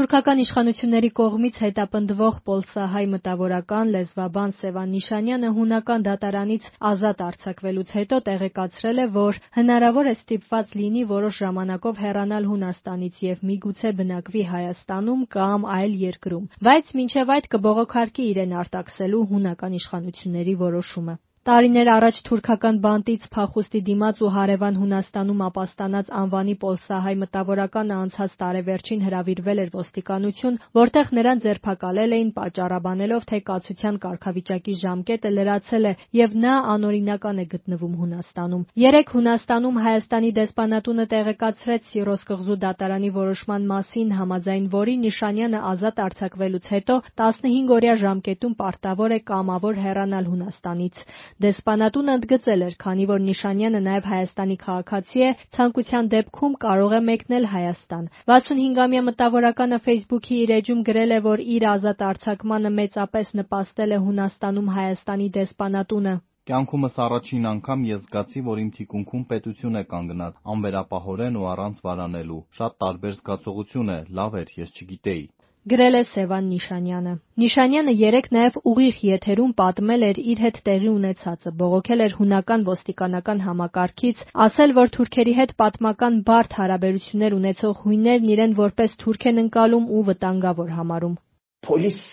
Թուրքական իշխանությունների կողմից հետապնդվող պոլսահայ մտավորական, լեզվաբան Սևան Նիշանյանը հունական դատարանից ազատ արձակվելուց հետո տեղեկացրել է, որ հնարավոր է ստիպված լինի որոշ ժամանակով հեռանալ Հունաստանից և միգուցե բնակվի Հայաստանում կամ այլ երկրում, բայց մինչև այդ կբողոքարկի իրեն արտաքսելու հունական իշխանությունների որոշումը։ Տարիներ առաջ թուրքական բանտից փախուստի դիմաց ու հարևան Հունաստանում ապաստանած անվանի պոլսահայ մտավորականը անցած տարեվերջին հրավիրվել էր ոստիկանություն, որտեղ նրան ձերբակալել էին պատճառաբանելով, թե կացության կարգավիճակի ժամկետը լրացել է և նա անօրինական է գտնվում Հունաստանում։ Երեկ Հունաստանում Հայաստանի դեսպանատունը տեղեկացրեց Սիրոս կղզու դատարանի որոշման մասին, համաձայն որի Նիշանյանը ազատ արձակվելուց հետո 15-օրյա ժամկետում պարտավոր է կամավոր հեռանալ Հունաստանից։ Դեսպանատունը ընդգծել էր, քանի որ Նիշանյանը նաև Հայաստանի քաղաքացի է, ցանկության դեպքում կարող է մեկնել Հայաստան։ 65-ամյա մտավորականը Facebook-ի իր էջում գրել է, որ իր ազատ արձակմանը մեծապես նպաստել է Հունաստանում Հայաստանի դեսպանատունը։ Կյանքումս առաջին անգամ ես զգացի, որ իմ թիկունքում պետություն է կանգնած, անվերապահորեն ու առանց վարանելու։ Շատ տարբեր զգացողություն է, լավ էր, ես չգիտեի։ Գրել է Սևան Նիշանյանը։ Նիշանյանը երեկ նաև ուղիղ եթերում պատմել էր իր հետ տեղի ունեցածը, բողոքել էր հունական ոստիկանական համակարգից, ասել, որ թուրքերի հետ պատմական բարդ հարաբերություններ ունեցող հույներն իրեն որպես թուրք են ընկալում ու վտանգավոր համարում։ Polis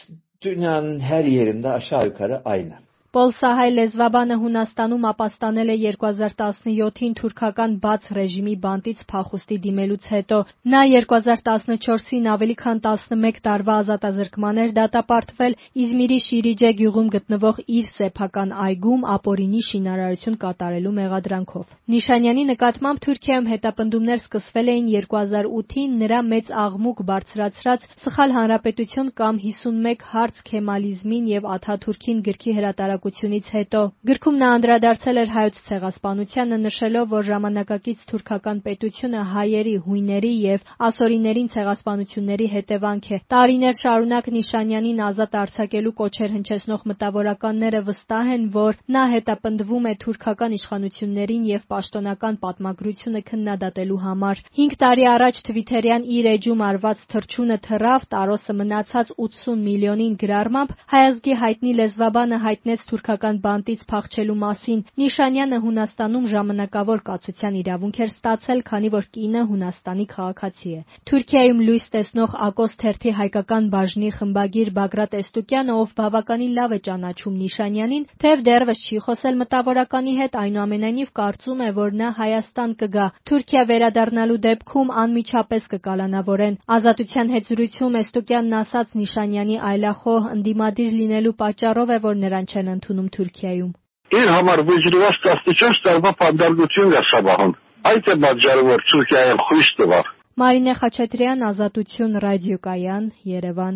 dünyanın her yerinde aşağı yukarı aynı. Պոլսահայ լեզվաբանը Հունաստանում ապաստանել է 2017-ին թուրքական բաց ռեժիմի բանտից փախուստի դիմելուց հետո։ Նա 2014-ին ավելի քան 11 տարվա ազատազրկման էր դատապարտվել Իզմիրի Շիրիջե գյուղում գտնվող իր սեփական այգում ապօրինի շինարարություն կատարելու մեղադրանքով։ Նիշանյանի նկատմամբ Թուրքիայում հետապնդումներ սկսվել էին 2008-ին նրա մեծ աղմուկ բարձրացրած «Սխալ հանրապետություն» կամ 51 հարց քեմալիզմին և Աթաթուրքին գրքի հրատարակությունից հետո։ Գրքում նա անդրադարձել էր Հայոց ցեղասպանությանը, նշելով, որ ժամանակակից թուրքական պետությունը հայերի, հույների և ասորիներին ցեղասպանությունների հետևանք է։ Տարիներ շարունակ Նիշանյանին ազատ արձակելու կոչեր հնչեցնող մտավորականները վստահ են, որ նա հետապնդվում է թուրքական իշխանություններին և պաշտոնական պատմագրությունը քննադատելու համար։ 5 տարի առաջ թվիթերյան իր էջում արված թռչունը թռավ, Տարոսը մնացած 80 միլիոնին գրառմամբ հայազգի հայտնի լեզվաբանը հայտնեց թուրքական բանտից փախչելու մասին։ Նիշանյանը Հունաստանում ժամանակավոր կացության իրավունք էր ստացել, քանի որ կինը Հունաստանի քաղաքացի է։ Թուրքիայում լույս տեսնող Ակոս թերթի հայկական բաժնի խմբագիր Բագրատ Էստուկյանը, ով բավականին լավ է ճանաչում Նիշանյանին, թեև դեռևս չի խոսել մտավորականի հետ, այնուամենայնիվ կարծում է, որ նա Հայաստան կգա։ Թուրքիա վերադառնալու դեպքում անմիջապես կկալանավորեն։ Ազատության հետ զրույցում Էստուկյանն ասաց Նիշանյանի այլախոհ ընդդիմադիր լինելու պատճառով է, որ նրան չեն ընդունում Թուրքիայում։ Իր համար վճռված 14 տարվա պատդարգություն է սավահում։ Այդ է պատճառը, որ Թուրքիայում խույս տվավ։ Մարինե Խաչատրյան, Ազատություն ռադիոկայան, Երևան։